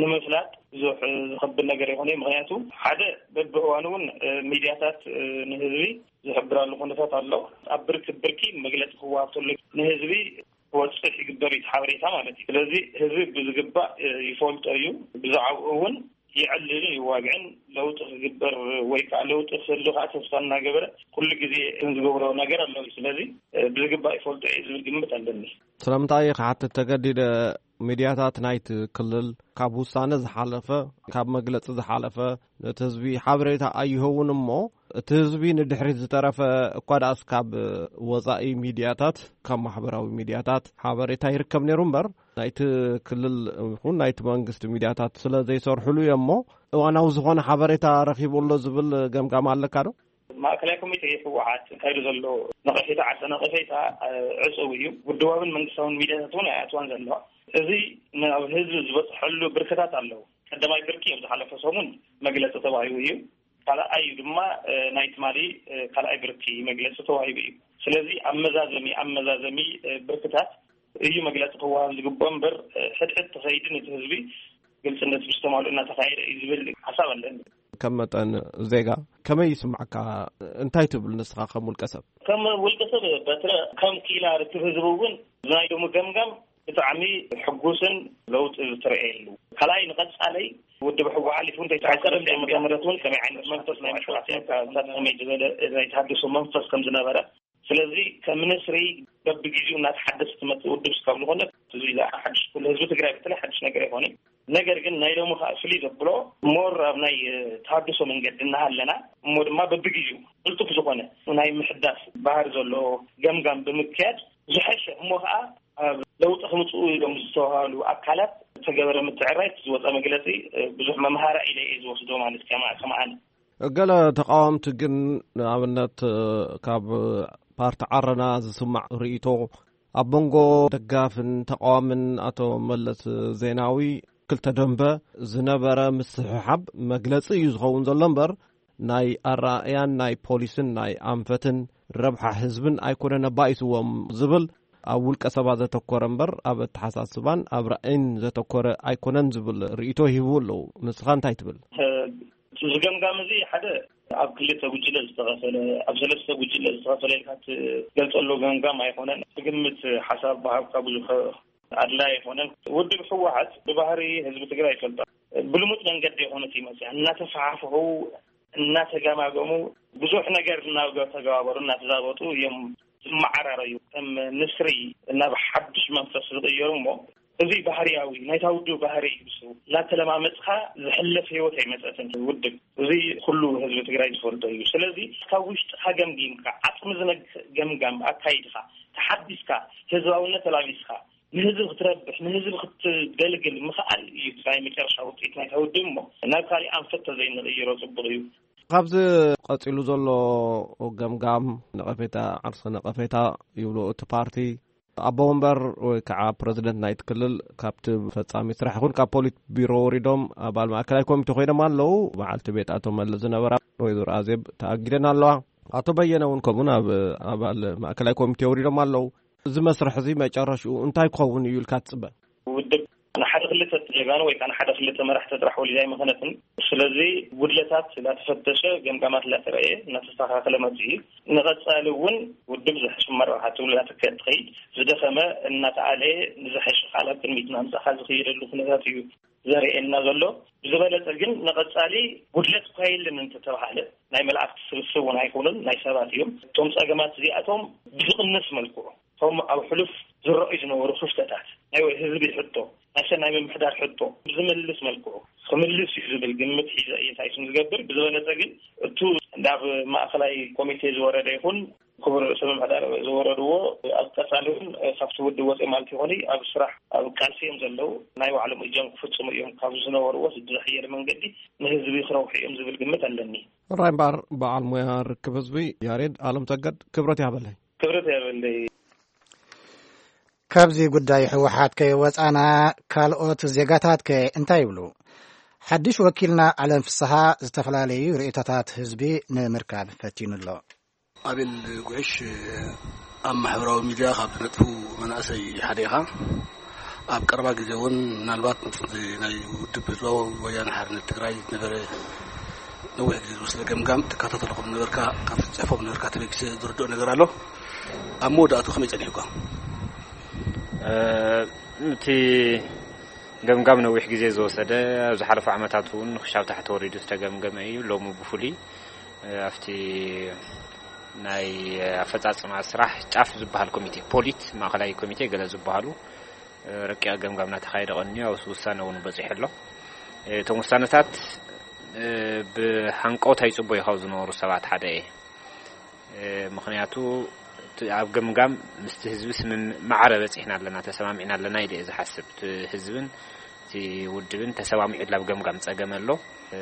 ንምፍላጥ ብዙሕ ዝኸብድ ነገር ይኾነ እዩ። ምኽንያቱ ሓደ በብእዋኑ እውን ሚድያታት ንህዝቢ ዝሕብራሉ ኩነታት ኣሎ። ኣብ ብርኪ ብርኪ መግለፂ ክወሃብ ተሎ ንህዝቢ ክወፅሕ ይግበር እዩ ሓበሬታ ማለት እዩ። ስለዚ ህዝቢ ብዝግባእ ይፈልጦ እዩ። ብዛዕባኡ እውን ይዕልልን ይዋግዕን ለውጢ ክግበር ወይ ከዓ ለውጢ ክህሉ ከዓ ተስፋ እናገበረ ኩሉ ግዜ ዝገብሮ ነገር ኣሎ። ስለዚ ብዝግባእ ይፈልጦ እዩ ዝብል ግምት ኣለኒ። ስለምንታይ ክሓትት ተገዲደ? ሚድያታት ናይቲ ክልል ካብ ውሳነ ዝሓለፈ፣ ካብ መግለፂ ዝሓለፈ ነቲ ህዝቢ ሓበሬታ ኣይህቡን እሞ እቲ ህዝቢ ንድሕሪት ዝተረፈ እኳ ደኣስ ካብ ወፃኢ ሚድያታት ካብ ማሕበራዊ ሚድያታት ሓበሬታ ይርከብ ነይሩ እምበር ናይቲ ክልል ይኹን ናይቲ መንግስቲ ሚድያታት ስለ ዘይሰርሕሉ እዮም እሞ እዋናዊ ዝኾነ ሓበሬታ ረኺቡ ኣሎ ዝብል ገምጋም ኣለካ ዶ? ማእከላይ ኮሚቴ ህወሓት ካይዱ ዘሎ ነቐፌታ ዓርሰ ነቐፌታ ዕፅው እዩ። ውድባውን መንግስታውን ሚድያታት እውን ኣይኣትዋን ዘለዋ። እዚ ናብ ህዝቢ ዝበፅሐሉ ብርክታት ኣለዉ። ቀዳማይ ብርኪ ኣብ ዝሓለፈ ሰሙን መግለፂ ተዋሂቡ እዩ። ካልኣይ ድማ ናይ ትማሊ ካልኣይ ብርኪ መግለፂ ተዋሂቡ እዩ። ስለዚ ኣመዛዘሚ ኣመዛዘሚ ብርክታት እዩ መግለፂ ክወሃብ ዝግብኦ እምበር ሕድሕድ ተኸይዲ ነቲ ህዝቢ ግልፅነት ብዝተማልኡ እናተኻየደ እዩ ዝብል ሓሳብ ኣለኒ። ከም መጠን ዜጋ ከመይ ይስምዓካ? እንታይ ትብል ንስኻ ከም ውልቀ ሰብ? ከም ውልቀ ሰብ በትረ ከም ክኢላ ርክብ ህዝቢ እውን ናይ ሎሚ ገምጋም ብጣዕሚ ሕጉስን ለውጢ ዝተረእየሉ። ካልኣይ ንቐፃለይ ውድብ ሕወሓት ሓሊፉ እንታይ ተሓሰረ እንታይ መጀመርያት እውን ከመይ ዓይነት መንፈስ ናይ መሸዋዕቲ ከመይ ዝበለ ናይ ተሃድሶ መንፈስ ከም ዝነበረ ስለዚ ከም ንስሪ በብግዜኡ እናተሓደሰ ትመፅእ ውድብ ስካብ ዝኾነ እዚ ሓድሽ ኩሉ ህዝቢ ትግራይ በተለይ ሓድሽ ነገር ኣይኮነን። ነገር ግን ናይ ሎሚ ከዓ ፍልይ ዘብሎ ሞር ኣብ ናይ ተሃድሶ መንገዲ እናሃለና እሞ ድማ በብግዜኡ ቅልጡፍ ዝኾነ ናይ ምሕዳስ ባህሪ ዘለዎ ገምጋም ብምክያድ ዝሐሸ እሞ ከዓ ኣብ ለውጢ ክምፅኡ ኢሎም ዝተባሃሉ ኣካላት ዝተገበረ ምትዕራይ ዝወፀ መግለፂ ብዙሕ መምሃራ ኢለ እየ ዝወስዶ ማለት ከማን ገለ ተቃወምቲ ግን ንኣብነት ካብ ፓርቲ ዓረና ዝስማዕ ርእይቶ ኣብ መንጎ ደጋፍን ተቃዋምን ኣቶ መለስ ዜናዊ ክልተ ደንበ ዝነበረ ምስሕሓብ መግለፂ እዩ ዝኸውን ዘሎ እምበር ናይ ኣረኣእያን ናይ ፖሊስን ናይ ኣንፈትን ረብሓ ህዝብን ኣይኮነን ኣባኢስዎም ዝብል ኣብ ውልቀ ሰባት ዘተኮረ እምበር ኣብ ኣተሓሳስባን ኣብ ራእይን ዘተኮረ ኣይኮነን ዝብል ርእይቶ ይህቡ ኣለዉ። ንስኻ እንታይ ትብል? እዚ ገምጋም እዚ ሓደ ኣብ ክልተ ጉጅለ ዝተኸፈለ፣ ኣብ ሰለስተ ጉጅለ ዝተኸፈለ ኢልካ ትገልጸሉ ገምጋም ኣይኮነን። ግምት ሓሳብ ብሃብካ ብዙሕ ኣድላይ ኣይኮነን። ውድብ ህወሓት ብባህሪ ህዝቢ ትግራይ ይፈልጦ። ብልሙድ መንገዲ የኾነት ይመፅያ እናተፈሓፍሑ እናተገማገሙ ብዙሕ ነገር እናተገባበሩ እናተዛበጡ እዮም ዝመዓራረዩ። ከም ንስሪ ናብ ሓዱሽ መንፈስ ዝቕየሩ እሞ እዚ ባህርያዊ ናይታ ውድብ ባህሪ እዩ። እሱ እናተለማመፅካ ዝሕለፍ ህይወት ኣይመፀትን ውድብ። እዚ ኩሉ ህዝቢ ትግራይ ዝፈልጦ እዩ። ስለዚ ካብ ውሽጥካ ገምጊምካ ዓፅሚ ዝነግህ ገምጋም ኣካይድካ ተሓዲስካ ህዝባውነት ተላቢስካ ንህዝቢ ክትረብሕ ንህዝቢ ክትገልግል ምኽኣል እዩ ናይ መጨረሻ ውፅኢት ናይታ ውድብ። እሞ ናብ ካሊእ ኣንፈት ተዘይንቕይሮ ፅቡቕ እዩ። ካብዚ ቀፂሉ ዘሎ ገምጋም ነቐፌታ ዓርሰ ነቐፌታ ይብሎ እቲ ፓርቲ ኣቦ ወንበር ወይ ከዓ ፕረዚደንት ናይቲ ክልል ካብቲ ፈፃሚ ስራሕ ይኹን ካብ ፖሊት ቢሮ ወሪዶም ኣባል ማእከላይ ኮሚቴ ኮይኖም ኣለዉ። በዓልቲ ቤት ኣቶ መለስ ዝነበራ ወይዘሮ ኣዜብ ተኣጊደን ኣለዋ። ኣቶ በየነ እውን ከምኡ ናብ ኣባል ማእከላይ ኮሚቴ ወሪዶም ኣለዉ። እዚ መስርሕ እዚ መጨረሽኡ እንታይ ክኸውን እዩ ኢልካ ትፅበ? ውድብ ንሓደ ክልተ ጀጋኑ ወይ ከዓ ንሓደ ክልተ መራሕቲ ጥራሕ ወሊዳ ኣይመኸነትን። ስለዚ ጉድለታት እናተፈተሸ ገምጋማት እናተረእየ እናተስተካከለ መፅኡ እዩ። ንቐፃሊ እውን ውድብ ዝሕሽ መራሓ ትብሉ እናተከ ትኸይድ ዝደኸመ እናተኣለየ ንዝሐሽ ቃል ኣብ ቅድሚት እናምፃእካ ዝኽየደሉ ኩነታት እዩ ዘርእየና ዘሎ። ብዝበለፀ ግን ንቐፃሊ ጉድለት እኳ የለን እንተተባሃለ ናይ መላእክቲ ስብስብ እውን ኣይኮኑን ናይ ሰባት እዮም። እቶም ፀገማት እዚኣቶም ብዝቕንስ መልክዑ እቶም ኣብ ሕሉፍ ዝረኣዩ ዝነበሩ ክፍተታት ናይ ህዝቢ ሕቶ ናይ ሰናይ ምምሕዳር ሕቶ ብዝምልስ መልክዑ ክምልስ እዩ ዝብል ግምት ሒዘ እየ እንታይ ስም ዝገብር። ብዝበለፀ ግን እቱ ናብ ማእኸላይ ኮሚቴ ዝወረደ ይኹን ክቡር ርእሰ ምምሕዳር ዝወረድዎ ኣብ ቀፃሊ እውን ካብቲ ውድብ ወፂኦም ማለት ይኾኑ ኣብ ስራሕ ኣብ ቃልሲ እዮም ዘለዉ። ናይ ባዕሎም እጃም ክፍፅሙ እዮም ካብ ዝነበርዎ ዝሓየለ መንገዲ ንህዝቢ ክረብሑ እዮም ዝብል ግምት ኣለኒ። ራይ እምበኣር በዓል ሞያ ርክብ ህዝቢ ያሬድ ኣለምሰገድ ክብረት ይሃበለይ። ክብረት ይሃበለይ። ካብዚ ጉዳይ ህወሓት ከይወፃና ካልኦት ዜጋታት ከ እንታይ ይብሉ? ሓድሽ ወኪልና ዓለም ፍስሃ ዝተፈላለዩ ርእይቶታት ህዝቢ ንምርካብ ፈቲኑ ኣሎ። ኣቤል ጉዕሽ ኣብ ማሕበራዊ ሚድያ ካብ ዝነጥፉ መናእሰይ ሓደ ኢኻ። ኣብ ቀረባ ግዜ እውን ምናልባት ምስቲ ናይ ውድብ ህዝባዊ ወያነ ሓርነት ትግራይ ዝነበረ ነዊሕ ግዜ ዝወሰደ ገምጋም ትከታተሎ ከም ነበርካ ካብቲ ትፅሕፎ ነበርካ ተበጊሰ ዝርድኦ ነገር ኣሎ። ኣብ መወዳእቱ ከመይ ፀኒሕኳ? እቲ ገምጋም ነዊሕ ግዜ ዝወሰደ ኣብ ዝሓለፉ ዓመታት እውን ክሻብ ታሕቲ ወሪዱ ዝተገምገመ እዩ። ሎሚ ብፍሉይ ኣብቲ ናይ ኣፈፃፅማ ስራሕ ጫፍ ዝበሃል ኮሚቴ ፖሊት ማእኸላይ ኮሚቴ ገለ ዝበሃሉ ረቂቕ ገምጋም እናተኻየደ ቀንዩ ኣብ ውሳነ እውን በፂሑ ኣሎ። እቶም ውሳነታት ብሃንቀውታ ይፅበዩ ካብ ዝነበሩ ሰባት ሓደ እየ። ምኽንያቱ ኣብ ገምጋም ምስቲ ህዝቢ ስምምዕ ማዕረ በፂሕና ኣለና ተሰማሚዕና ኣለና ኢለ እየ ዝሓስብ። እቲ ህዝብን እቲ ውድብን ተሰማሚዑ ኣብ ገምጋም ፀገም ኣሎ።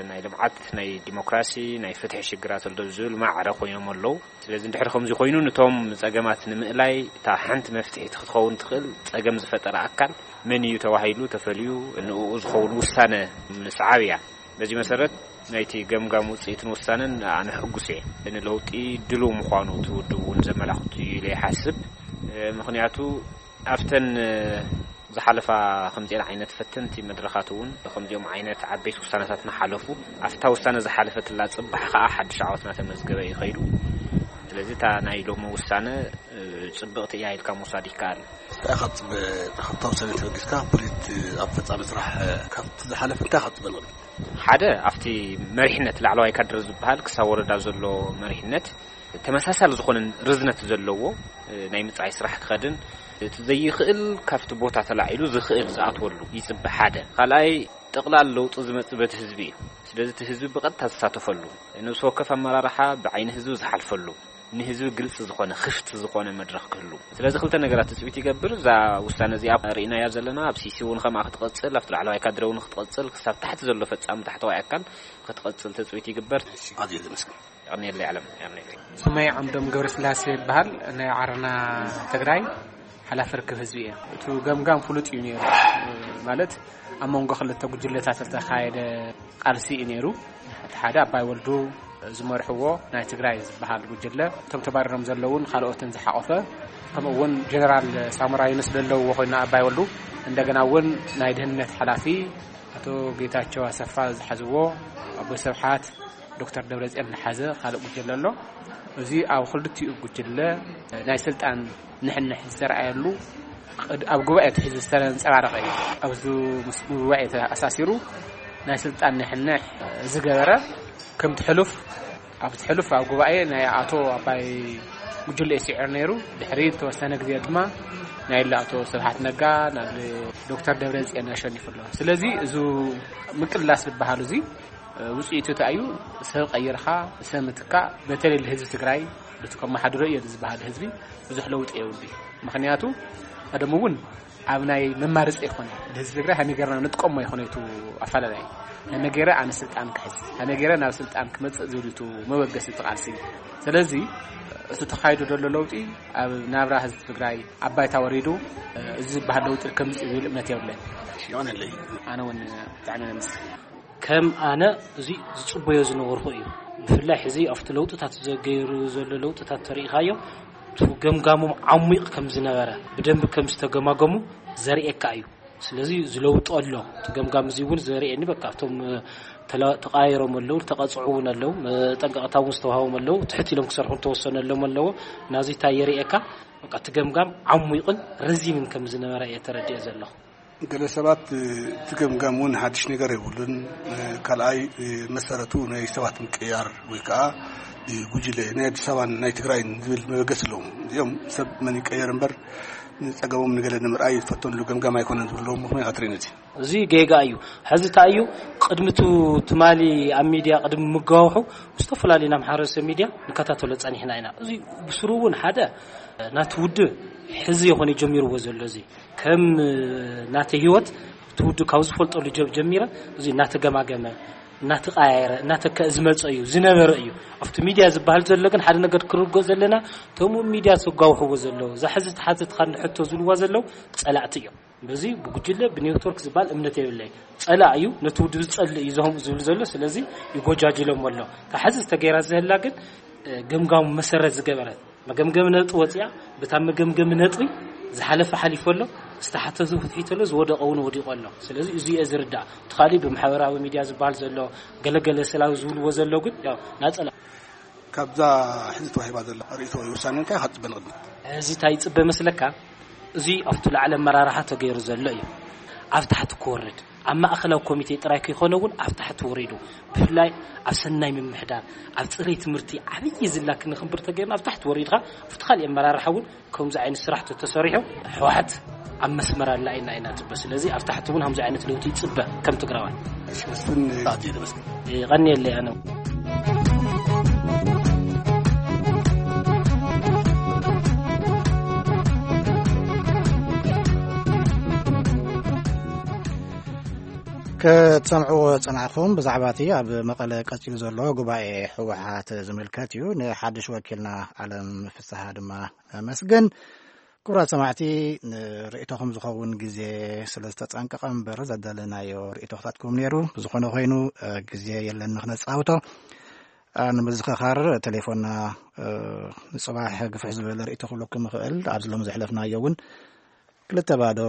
ናይ ልምዓት ናይ ዲሞክራሲ ናይ ፍትሒ ሽግራት ኣሎ ዝብል ማዕረ ኮይኖም ኣለዉ። ስለዚ እንድሕር ከምዚ ኮይኑ ነቶም ፀገማት ንምእላይ እታ ሓንቲ መፍትሒት ክትኸውን ትኽእል ፀገም ዝፈጠረ ኣካል መን እዩ ተባሂሉ ተፈልዩ ንኡ ዝኸውን ውሳነ ምስዓብ እያ። በዚ መሰረት ናይቲ ገምጋም ውፅኢትን ውሳነን ኣነ ሕጉስ እየ። ንለውጢ ድሉው ምዃኑ እቲ ውድብ እውን ዘመላኽት እዩ ኢለ ይሓስብ። ምኽንያቱ ኣብተን ዝሓለፋ ከምዚአን ዓይነት ፈተንቲ መድረኻት እውን ከምዚኦም ዓይነት ዓበይቲ ውሳነታት እናሓለፉ ኣብታ ውሳነ ዝሓለፈትላ ፅባሕ ከዓ ሓድሽ ዓወት እናተመዝገበ እዩ ከይዱ። ስለዚ እታ ናይ ሎሚ ውሳነ ፅብቕቲ እያ ኢልካ ምውሳድ ይከኣል። እንታይ ኢኻ ትፅበ? ካብታ ውሳነ ተበጊስካ ፖሊት ኣብ ፈፃሚ ስራሕ ካብቲ ዝሓለፈ እንታይ ኢኻ ትፅበ ንቕድሚት? ሓደ ኣብቲ መሪሕነት ላዕለዋይ ካድረ ዝበሃል ክሳብ ወረዳ ዘሎ መሪሕነት ተመሳሳሊ ዝኾነ ርዝነት ዘለዎ ናይ ምፅዓይ ስራሕ ክኸድን እቲ ዘይኽእል ካብቲ ቦታ ተላዒሉ ዝኽእል ዝኣትወሉ ይፅበ። ሓደ ካልኣይ ጠቕላል ለውጢ ዝመፅእ በቲ ህዝቢ እዩ። ስለዚ እቲ ህዝቢ ብቐጥታ ዝሳተፈሉ ነብሲ ወከፍ ኣመራርሓ ብዓይኒ ህዝቢ ዝሓልፈሉ ንህዝቢ ግልፂ ዝኾነ ክፍቲ ዝኾነ መድረኽ ክህሉ። ስለዚ ክልተ ነገራት ትፅቢት ይገብር። እዛ ውሳነ እዚኣ ርኢናያ ዘለና ኣብ ሲሲ እውን ከምኣ ክትቐፅል ኣብቲ ላዕለዋይ ካድረ እውን ክትቐፅል ክሳብ ታሕቲ ዘሎ ፈፃሚ ታሕተዋይ ኣካል ክትቐፅል ትፅቢት ይግበር። ኣዝየ ዘመስግን። የቐንየለይ ዓለም የቐንየለይ። ስመይ ዓምዶም ገብረስላሴ ይበሃል። ናይ ዓረና ትግራይ ሓላፊ ርክብ ህዝቢ እየ። እቲ ገምጋም ፍሉጥ እዩ ነይሩ። ማለት ኣብ መንጎ ክልተ ጉጅለታት ዝተኻየደ ቃልሲ እዩ ነይሩ። እቲ ሓደ ኣባይ ወልዱ ዝመርሕዎ ናይ ትግራይ ዝበሃል ጉጅለ፣ እቶም ተባሪሮም ዘለውን ካልኦትን ዝሓቆፈ፣ ከምኡ እውን ጀነራል ሳሞራ ዩኑስ ዘለውዎ ኮይኑ ኣባይ ወልዱ፣ እንደገና እውን ናይ ድህነት ሓላፊ ኣቶ ጌታቸው ኣሰፋ ዝሓዝዎ፣ ኣቦይ ስብሓት፣ ዶክተር ደብረጽዮን ዝሓዘ ካልእ ጉጅለ ኣሎ። እዚ ኣብ ክልቲኡ ጉጅለ ናይ ስልጣን ንሕንሕ ዝተረኣየሉ፣ ቅድ-፣ ኣብ ጉባኤ ትሒዙ ዝተንጸባረቐ እዩ። ኣብዚ ምስ ጉባኤ ተኣሳሲሩ ናይ ስልጣን ንሕንሕ ዝገበረ፣ ከምቲ ሕሉፍ፣ ኣብቲ ሕሉፍ ኣብ ጉባኤ ናይ ኣቶ ኣባይ ጉጅለ እዩ ስዒሩ ነይሩ። ድሕሪ ዝተወሰነ ግዜ ድማ ናይ ኣቶ ስብሓት ነጋ ናብ ዶክተር ደብረጽዮን ኣሸኒፉ ኣሎ። ስለዚ እዚ ምቅላስ ዝበሃል እዚ ውፅኢቱ እንታይ እዩ? ሰብ ቀይርካ ሰብ ምትካእ፣ በተለይ ህዝቢ ትግራይ፣ በቲ ከመሓድሮ እየ ዝበሃል ህዝቢ ብዙሕ ለውጢ የብሉ። ምክንያቱ ቀደም እውን ኣብ ናይ መማርፂ ይኮነ፣ ህዝቢ ትግራይ ሃመይ ገይርና ንጥቀሞ ይኮነ፣ ይቱ ኣፈላላይ ሃመይ ገይረ ኣነ ስልጣን ክሕዝ፣ ሃመይ ገይረ ናብ ስልጣን ክመፅእ ዝብል ቱ መበገሲ እቲ ቃልሲ። ስለዚ እቲ ተኻይዱ ዘሎ ለውጢ ኣብ ናብራ ህዝቢ ትግራይ ኣብ ባይታ ወሪዱ፣ እዚ ዝበሃል ለውጢ ከምፅእ ዝብል እምነት የብለን። ይሆነለይ። ኣነ እውን ብጣዕሚ ነምስ ከም ኣነ እዚ ዝጽበዮ ዝነበርኩ እዩ። ብፍላይ ሕዚ ኣብቲ ለውጥታት ዘገይሩ ዘሎ ለውጥታት ተሪኢኻዮ፣ እቲ ገምጋሞም ዓሚቕ ከም ዝነበረ፣ ብደንቢ ከም ዝተገማገሙ ዘርእየካ እዩ። ስለዚ ዝለውጦ ኣሎ። እቲ ገምጋም እዚ እውን ዘርእየኒ፣ በቃ፣ ኣብቶም፣ እ፣ ተላ-፣ ተቃይሮም ኣለዉ፣ ተቐጽዑ እውን ኣለዉ፣ መጠንቀቕታ እውን ዝተዋህቦም ኣለዉ፣ ትሕት ኢሎም ክሰርሑ ዝተወሰነሎም ኣለዉ። ናዚ እንታይ የርእየካ? በቃ፣ እቲ ገምጋም ዓሚቕን ረዚንን ከም ዝነበረ እየ ተረዲኦ ዘለኹ። ገለ ሰባት፣ እ፣ እቲ ገምጋም እውን ሓድሽ ነገር የብሉን። እ፣ ካልኣይ፣ እ፣ መሰረቱ ናይ ሰባት ምቅያር ወይ ከዓ፣ እ፣ ጉጅለ ናይ ኣዲስ ኣበባን ናይ ትግራይን ዝብል መበገሲ ኣለዎም። እዚኦም ሰብ መን ይቀየር እምበር ንፀገሞም ንገለ ንምርኣይ ዝፈተንሉ ገምጋም ኣይኮነን ዝብሉ ኣለዎም። ምኽንያት ኣትሪን እዚ እዚ ጌጋ እዩ። ሕዚ እንታይ እዩ? ቅድሚ ቱ-፣ ትማሊ ኣብ ሚድያ ቅድሚ ምጋውሑ ዝተፈላለዩ ናይ ማሕበረሰብ ሚድያ ንከታተሎ ጸኒሕና ኢና። እዚ ብስሩ እውን ሓደ ናቲ ውድብ ሕዚ ይኾነ ጀሚርዎ ዘሎ፣ እዚ ከም ናተ ህይወት እቲ ውድብ ካብ ዝፈልጠሉ ጀብ ጀሚረ እዚ እናተገማገመ፣ እናተቀያየረ፣ እናተከ ዝመፀ እዩ፣ ዝነበረ እዩ። ኣብቲ ሚድያ ዝበሃል ዘሎ ግን ሓደ ነገር ክርጎ ዘለና፣ እቶም ሚድያ ዘጋውሕዎ ዘለዉ፣ እዛ ሕዚ ተሓተትካ ንሕቶ ዝብልዋ ዘለዉ ጸላእቲ እዮም። በዚ ብጉጅለ ብኔትወርክ ዝበሃል እምነት የብለይ። ጸላእ እዩ፣ ነቲ ውድብ ዝጸልእ እዩ ዞም ዝብል ዘሎ። ስለዚ ይጎጃጅሎም ኣሎ። እታ ሕዚ ዝተገይራ ዘህላ ግን፣ እ፣ ገምጋሙ መሰረት ዝገበረት መገምገሚ ነጥቢ ወፂኣ፣ በታ መገምገሚ ነጥቢ ዝሓለፈ ሓሊፎ ኣሎ፣ ዝተሓተቱ ፍትሒቶ ኣሎ፣ ዝወደቀ እውን ወዲቆ ኣሎ። ስለዚ እዚ እየ ዝርዳእ። እቲ ካሊእ ብማሕበራዊ ሚድያ ዝበሃል ዘሎ ገለገለ ሰላዊ ዝብልዎ ዘሎ ግን ያው ናጸላ ካብዛ ሕዚ ተዋሂባ ዘላ ርእይቶ ወይ ውሳኔ እንታይ ኢኻ ትጽበ ንቕድሚት? እዚ እንታይ ይጽበ መስለካ? እዚ ኣብቲ ላዕሊ ኣመራርሓ ተገይሩ ዘሎ እዩ። ኣብ ታሕቲ ክወርድ፣ ኣብ ማእኸላዊ ኮሚቴ ጥራይ ከይኮነ እውን ኣብ ታሕቲ ወሪዱ፣ ብፍላይ ኣብ ሰናይ ምምሕዳር፣ ኣብ ፅሬት ትምህርቲ ዓብዪ ዝላ ክንኽንብር ተገይርና ኣብ ታሕቲ ወሪድካ ኣብቲ ካሊእ ኣመራርሓ እውን ከምዚ ዓይነት ስራሕ ተተሰሪሑ ህወሓት ኣብ መስመር ኣላ ኢልና ኢና ንፅበ። ስለዚ ኣብ ታሕቲ እውን ከምዚ ዓይነት ለውጢ ይፅበ ከም ትግራዋይ። እሺ፣ መስፍን ኣዝየ ዘመስግን። ይቐንየለይ ኣነ። ክትሰምዕዎ ጸናሕኩም ብዛዕባ እቲ ኣብ መቐለ ቀጺሉ ዘሎ ጉባኤ ህወሓት ዝምልከት እዩ። ንሓድሽ ወኪልና ዓለም ፍስሓ ድማ ነመስግን። ክቡራት ሰማዕቲ፣ ንርእይቶኹም ዝኸውን ግዜ ስለ ዝተጸንቀቐ እምበር ዘዳለናዮ ርእይቶ ክታትኩም ነይሩ። ብዝኾነ ኮይኑ፣ እ፣ ግዜ የለን ንኽነጻውቶ። እ፣ ንምዝኽኻር ቴሌፎንና፣ እ፣ ንጽባሕ ግፍሕ ዝበለ ርእይቶ ክብለኩም ይኽእል። ኣብዚ ሎም ዘሕለፍናዮ እውን ክልተ ባዶ፣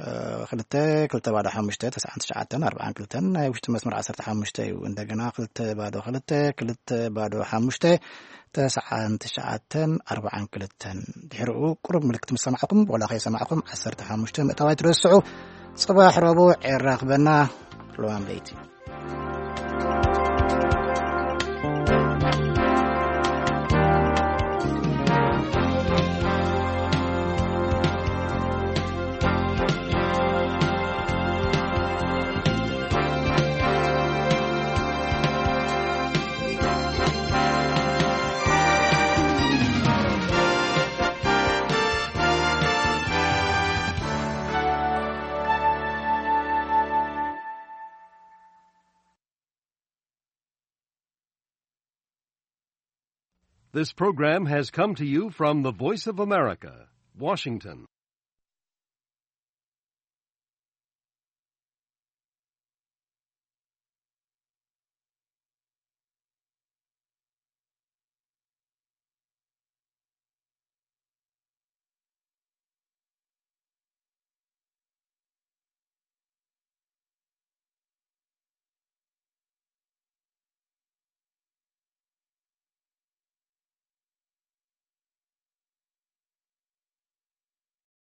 እ፣ ክልተ፣ ክልተ ባዶ ሓሙሽተ፣ ተስዓን ትሽዓተን ኣርባዓን ክልተን ናይ ውሽጢ መስመር ዓሰርተ ሓሙሽተ እዩ። እንደገና ክልተ ባዶ ክልተ፣ ክልተ ባዶ ሓሙሽተ፣ ተስዓን ትሽዓተን ኣርባዓን ክልተን። ድሕሪኡ ቁሩብ ምልክት ምስ ሰማዕኩም፣ ዋላ ከይሰማዕኩም፣ ዓሰርተ ሓሙሽተ ምእታው ኣይትረስዑ። ጽባሕ ረቡዕ የራኽበና። ለዋም ለይቲ። This program has come to you from the Voice of America, Washington.